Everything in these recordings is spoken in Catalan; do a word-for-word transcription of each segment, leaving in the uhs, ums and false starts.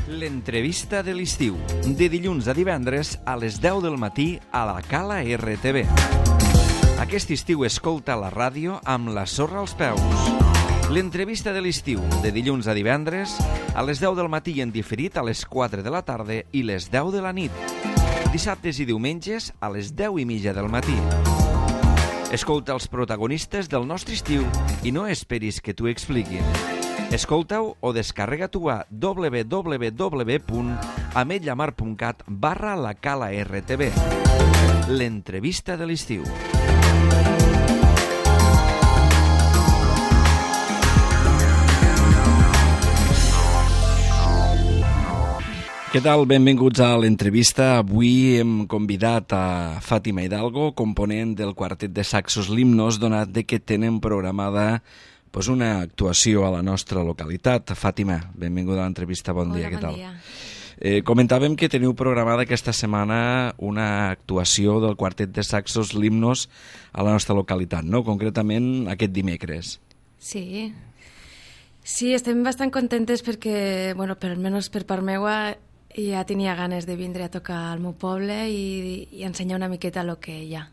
L'entrevista de l'estiu, de dilluns a divendres a les deu del matí a la Cala R T V. Aquest estiu escolta la ràdio amb la sorra als peus. L'entrevista de l'estiu, de dilluns a divendres a les deu del matí i en diferit a les quatre de la tarda i les deu de la nit. Dissabtes i diumenges a les deu i mitja del matí. Escolta els protagonistes del nostre estiu i no esperis que t'ho expliquin. Escolta-ho o descarrega-t'ho a w w w punt ametlla mar punt cat barra la Cala R T V. L'entrevista de l'estiu. Què tal? Benvinguts a l'entrevista. Avui hem convidat a Fàtima Hidalgo, component del quartet de saxos Limnos, donat de que tenen programada pues, una actuació a la nostra localitat. Fàtima, benvinguda a l'entrevista, bon Hola, dia, què bon tal? Dia. Eh, comentàvem que teniu programada aquesta setmana una actuació del quartet de saxos Limnos a la nostra localitat, no? Concretament aquest dimecres. Sí, sí, estem bastant contentes perquè, bueno, per almenys per part meua, ja tenia ganes de vindre a tocar al meu poble i, i ensenyar una miqueta el que hi ha.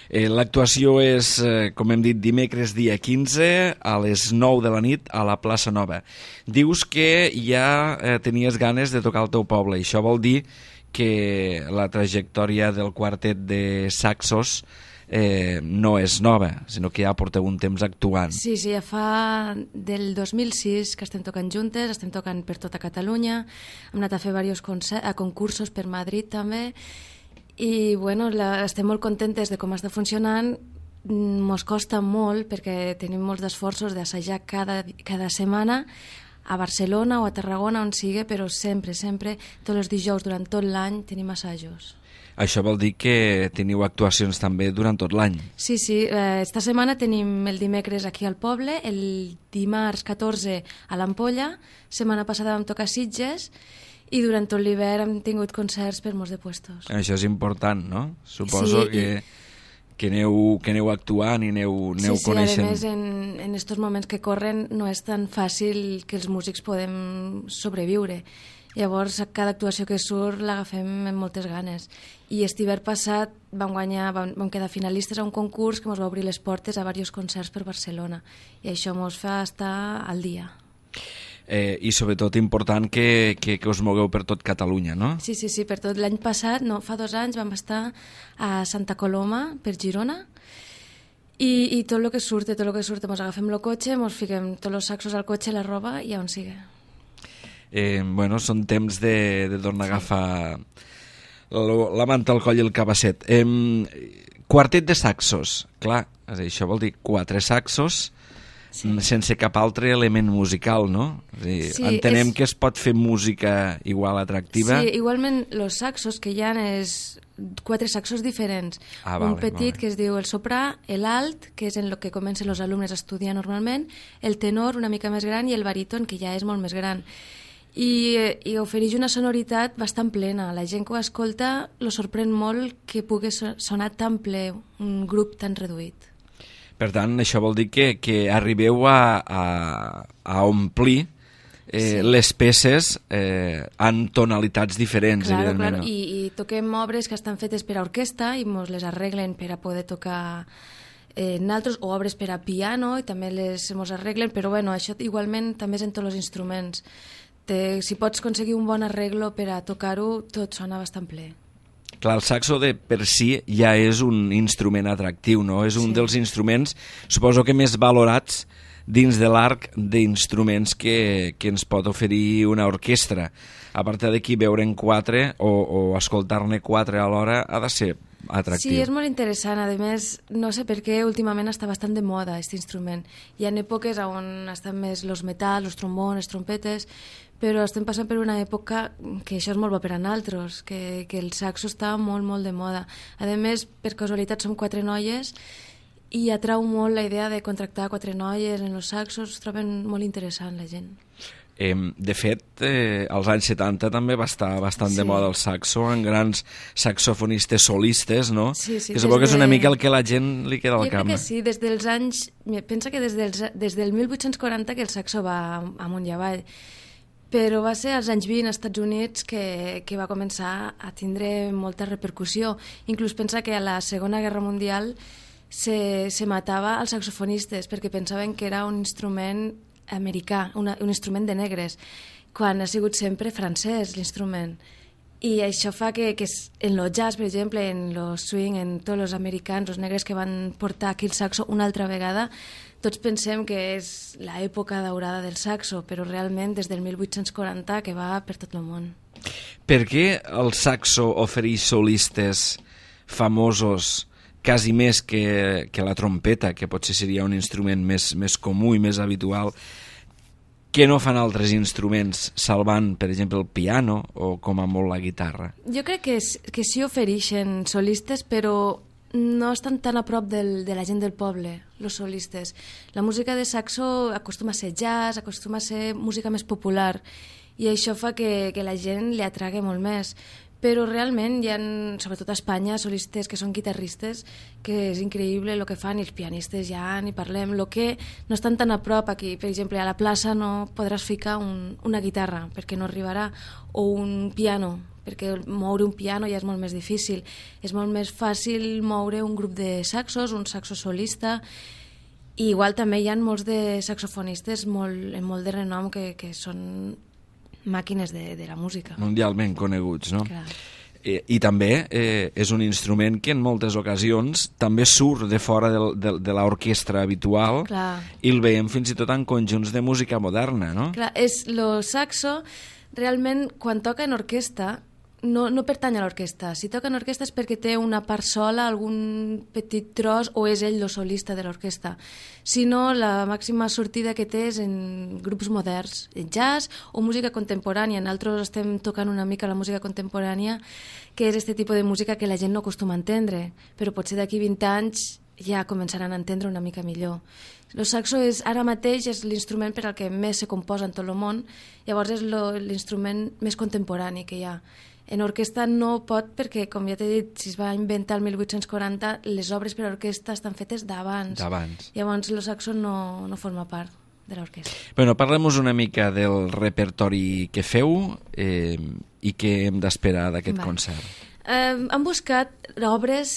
Eh, L'actuació és, eh, com hem dit, dimecres dia quinze a les nou de la nit a la plaça Nova. Dius que ja eh, tenies ganes de tocar al teu poble i això vol dir que la trajectòria del quartet de saxos eh, no és nova, sinó que ja porteu un temps actuant. Sí, sí, ja fa del dos mil sis que estem tocant juntes, estem tocant per tota Catalunya, hem anat a fer diversos concursos per Madrid també, i bueno, la, estem molt contentes de com està funcionant. Mos costa molt perquè tenim molts esforços d'assajar cada, cada setmana a Barcelona o a Tarragona, on sigui, però sempre, sempre, tots els dijous durant tot l'any tenim assajos. Això vol dir que teniu actuacions també durant tot l'any. Sí, sí, eh, esta setmana tenim el dimecres aquí al poble, el dimarts catorze a l'Ampolla, setmana passada vam tocar a Sitges, i durant tot l'hivern hem tingut concerts per molts de puestos. Això és important, no? Suposo Sí, que, i... que, aneu, que aneu actuant i aneu, aneu sí, coneixent. Sí, a més, en estos moments que corren no és tan fàcil que els músics podem sobreviure. Llavors, cada actuació que surt l'agafem amb moltes ganes. I aquest hivern passat vam guanyar, vam, vam quedar finalistes a un concurs que ens va obrir les portes a diversos concerts per Barcelona. I això ens fa estar al dia. Eh, I sobretot important que, que, que us mogueu per tot Catalunya, no? Sí, sí, sí, per tot. L'any passat, no, fa dos anys, vam estar a Santa Coloma, per Girona, i, i tot el que surt, tot el que surt, ens agafem el cotxe, ens fiquem tots els saxos al cotxe, la roba, i on sigui. Eh, bueno, són temps de, de tornar a agafar la, la manta al coll i el cabasset. Eh, quartet de saxos, clar, això vol dir quatre saxos, sí, sense cap altre element musical, no? És dir, sí, entenem és... que es pot fer música igual atractiva. Sí, igualment els saxos que hi ha és quatre saxos diferents. Ah, un vale, petit vale. que es diu el soprà, l'alt, que és en el que comencen els alumnes a estudiar normalment, el tenor una mica més gran i el baríton, que ja és molt més gran. I, i ofereix una sonoritat bastant plena. La gent que ho escolta lo sorprèn molt que pugui sonar tan ple un grup tan reduït. Per tant, això vol dir que, que arribeu a, a, a omplir eh, sí, les peces eh, en tonalitats diferents, claro, evidentment. Claro. I, I toquem obres que estan fetes per a orquestra i ens les arreglen per a poder tocar eh, naltros, o obres per a piano i també les ens arreglen, però bueno, això igualment també és en tots els instruments. Te, si pots aconseguir un bon arreglo per a tocar-ho, tot sona bastant ple. Clar, el saxo de per si ja és un instrument atractiu, no? És un sí, dels instruments, suposo que més valorats dins de l'arc d'instruments que, que ens pot oferir una orquestra. A part d'aquí, veure'n quatre o, o escoltar-ne quatre alhora ha de ser atractiu. Sí, és molt interessant. A més, no sé per què últimament està bastant de moda aquest instrument. Hi ha èpoques on estan més els metalls, els trombons, les trompetes, però estem passant per una època que això és molt bo per a nosaltres, que, que el saxo està molt, molt de moda. A més, per casualitat som quatre noies i atrau molt la idea de contractar quatre noies en els saxos, es troben molt interessant la gent. Eh, de fet, eh, als anys setanta també va estar bastant sí, de moda el saxo, en grans saxofonistes solistes, no? Sí, sí, que suposo que és de... una mica el que la gent li queda al cap. Jo cap. crec que sí, des dels anys... Pensa que des, dels, des del mil vuit-cents quaranta que el saxo va amunt i avall, però va ser als anys vint als Estats Units que, que va començar a tindre molta repercussió. Inclús pensa que a la Segona Guerra Mundial se, se matava als saxofonistes perquè pensaven que era un instrument americà, una, un instrument de negres, quan ha sigut sempre francès l'instrument. I això fa que, que en el jazz, per exemple, en el swing, en tots els americans, els negres que van portar aquí el saxo una altra vegada, tots pensem que és l'època daurada del saxo, però realment des del mil vuit-cents quaranta que va per tot el món. Per què el saxo ofereix solistes famosos quasi més que, que la trompeta, que potser seria un instrument més, més comú i més habitual, que no fan altres instruments, salvant, per exemple, el piano o com a molt la guitarra? Jo crec que, que sí ofereixen solistes, però no estan tan a prop del, de la gent del poble, els solistes. La música de saxo acostuma a ser jazz, acostuma a ser música més popular, i això fa que, que la gent li atrague molt més. Però realment hi ha, sobretot a Espanya, solistes que són guitarristes, que és increïble el que fan, i els pianistes ja ni parlem. El que no estan tan a prop aquí, per exemple, a la plaça no podràs ficar un, una guitarra, perquè no arribarà, o un piano, perquè moure un piano ja és molt més difícil. És molt més fàcil moure un grup de saxos, un saxo solista, i igual també hi ha molts de saxofonistes molt, molt de renom que, que són màquines de, de la música. Mundialment coneguts, no? Clar. Eh, I també eh, és un instrument que en moltes ocasions també surt de fora del, de, de l'orquestra habitual. Clar. I el veiem fins i tot en conjunts de música moderna, no? Clar, és lo saxo, realment, quan toca en orquestra, no, no pertany a l'orquestra. Si toca en orquestra és perquè té una part sola, algun petit tros, o és ell el solista de l'orquestra. Si no, la màxima sortida que té és en grups moderns, en jazz o música contemporània. Nosaltres estem tocant una mica la música contemporània, que és aquest tipus de música que la gent no acostuma a entendre, però potser d'aquí vint anys ja començaran a entendre una mica millor. El saxo és, ara mateix és l'instrument per al que més se composa en tot el món, llavors és l'instrument més contemporani que hi ha. En orquestra no pot perquè, com ja t'he dit, si es va inventar el mil vuit-cents quaranta, les obres per a orquestra estan fetes d'abans. D'abans. Llavors el saxo no, no forma part de l'orquestra. Bueno, parlem-nos una mica del repertori que feu eh, i què hem d'esperar d'aquest concert. Eh, hem buscat obres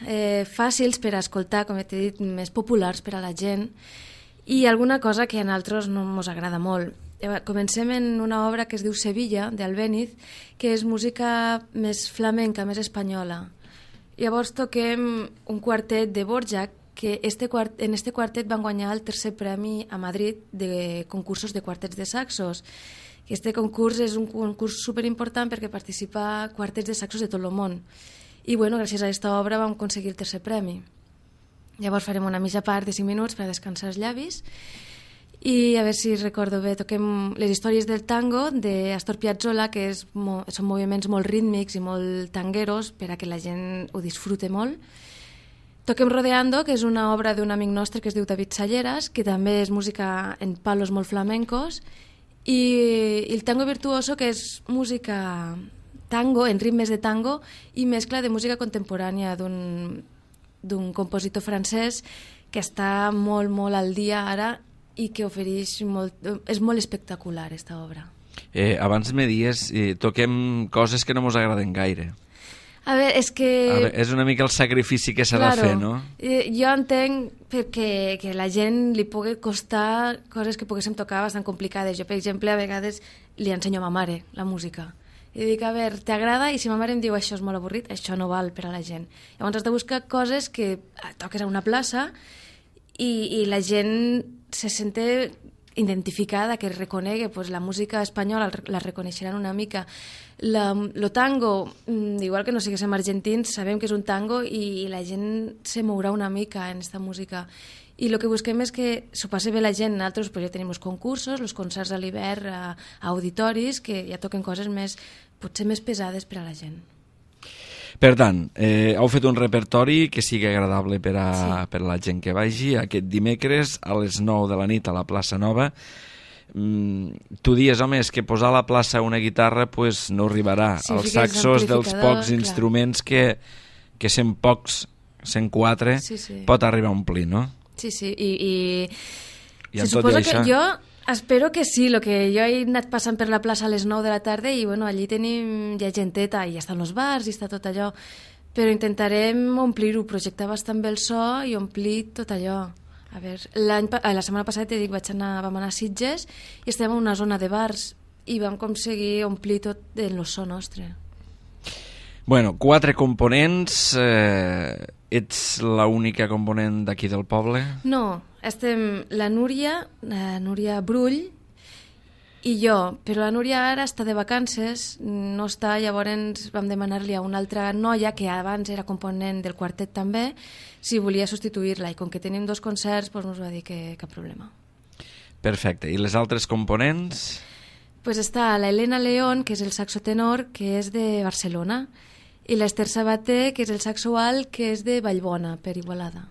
eh, fàcils per a escoltar, com t'he dit, més populars per a la gent, i alguna cosa que a nosaltres no ens agrada molt. Comencem en una obra que es diu Sevilla, d'Albéniz, que és música més flamenca, més espanyola. Llavors toquem un quartet de Dvořák, que este quart en este quartet van guanyar el tercer premi a Madrid de concursos de quartets de saxos. Este concurs és un concurs superimportant perquè participa quartets de saxos de tot el món. I bueno, gràcies a aquesta obra vam aconseguir el tercer premi. Llavors farem una mitja part de cinc minuts per a descansar els llavis. I a veure si recordo bé, toquem les històries del tango d'Astor Piazzolla, que és, són moviments molt rítmics i molt tangueros per a que la gent ho disfrute molt. Toquem Rodeando, que és una obra d'un amic nostre que es diu David Salleras, que també és música en palos molt flamencos, i, i el tango virtuoso, que és música tango, en ritmes de tango, i mescla de música contemporània d'un d'un compositor francès que està molt, molt al dia ara, i que ofereix molt, és molt espectacular, aquesta obra. Eh, abans me dies, eh, toquem coses que no mos agraden gaire. A veure, és que... A veure, és una mica el sacrifici que s'ha claro, de fer, no? Eh, jo entenc perquè que la gent li pugui costar coses que poguéssim tocar bastant complicades. Jo, per exemple, a vegades li ensenyo a ma mare la música. I dic, a veure, t'agrada? I si ma mare em diu això és molt avorrit, això no val per a la gent. Llavors has de buscar coses que toques a una plaça i, i la gent se sente identificada, que reconegui pues, la música espanyola, la reconeixeran una mica. La, lo tango, igual que no siguéssim argentins, sabem que és un tango i, i la gent se mourà una mica en aquesta música. I el que busquem és que s'ho passi bé la gent. Nosaltres pues, ja tenim els concursos, els concerts a l'hivern a, a auditoris, que ja toquen coses més, potser més pesades per a la gent. Per tant, eh, heu fet un repertori que sigui agradable per a, sí. per a la gent que vagi aquest dimecres a les nou de la nit a la plaça Nova. Mm, tu dies, home, és que posar a la plaça una guitarra pues, no arribarà. Sí, els saxos dels pocs clar. instruments que, que sent pocs, cent quatre, sí, sí. pot arribar a omplir, no? Sí, sí, i... i... I se suposa que això... jo Espero que sí, lo que jo he anat passant per la plaça a les nou de la tarda i bueno, allí tenim ja genteta i estan els bars i està tot allò, però intentarem omplir-ho, projectar bastant bé el so i omplir tot allò. A veure, l'any, la setmana passada t'he dit, vaig anar, vam anar a Sitges i estem en una zona de bars i vam aconseguir omplir tot el so nostre. Bueno, quatre components. Eh, ets l'única component d'aquí del poble? No, estem la Núria, la Núria Brull i jo, però la Núria ara està de vacances, no està, llavors vam demanar-li a una altra noia que abans era component del quartet també, si volia substituir-la, i com que tenim dos concerts, doncs ens va dir que cap problema. Perfecte. I les altres components? Pues està la Elena León, que és el saxo tenor, que és de Barcelona, i l'Ester Sabater, que és el saxo alt, que és de Vallbona, per Igualada.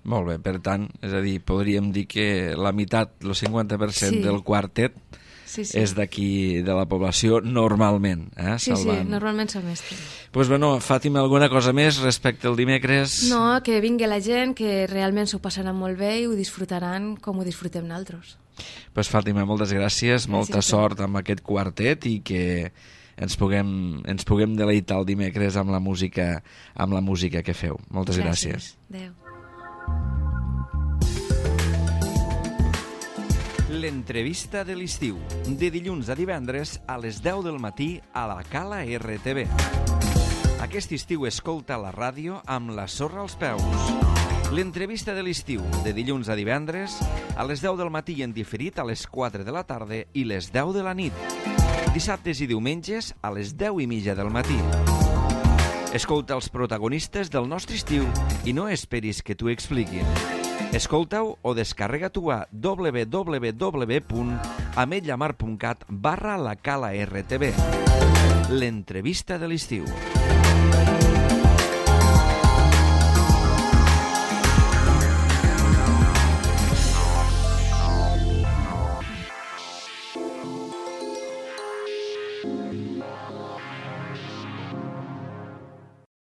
Molt bé, per tant, és a dir, podríem dir que la meitat, el cinquanta per cent sí. del quartet sí, sí. és d'aquí, de la població, normalment. Eh? Sí, Salvant. sí, normalment som estos. Doncs pues, bueno, Fàtima, alguna cosa més respecte al dimecres? No, que vingui la gent, que realment s'ho passaran molt bé i ho disfrutaran com ho disfrutem nosaltres. Doncs pues, Fàtima, moltes gràcies, gràcies molta sort amb aquest quartet i que ens puguem, ens puguem deleitar el dimecres amb la música, amb la música que feu. Moltes gràcies. Gràcies. Adéu. L'entrevista de l'estiu, de dilluns a divendres a les deu del matí a la Cala R T V. Aquest estiu escolta la ràdio amb la sorra als peus. L'entrevista de l'estiu, de dilluns a divendres a les deu del matí en diferit a les quatre de la tarda i les deu de la nit. Dissabtes i diumenges a les deu i mitja del matí. Escolta els protagonistes del nostre estiu i no esperis que t'ho expliquin. Escolta-ho o descarrega-t'ho a w w w punt ametlla mar punt cat barra la Cala R T V. L'entrevista de l'estiu.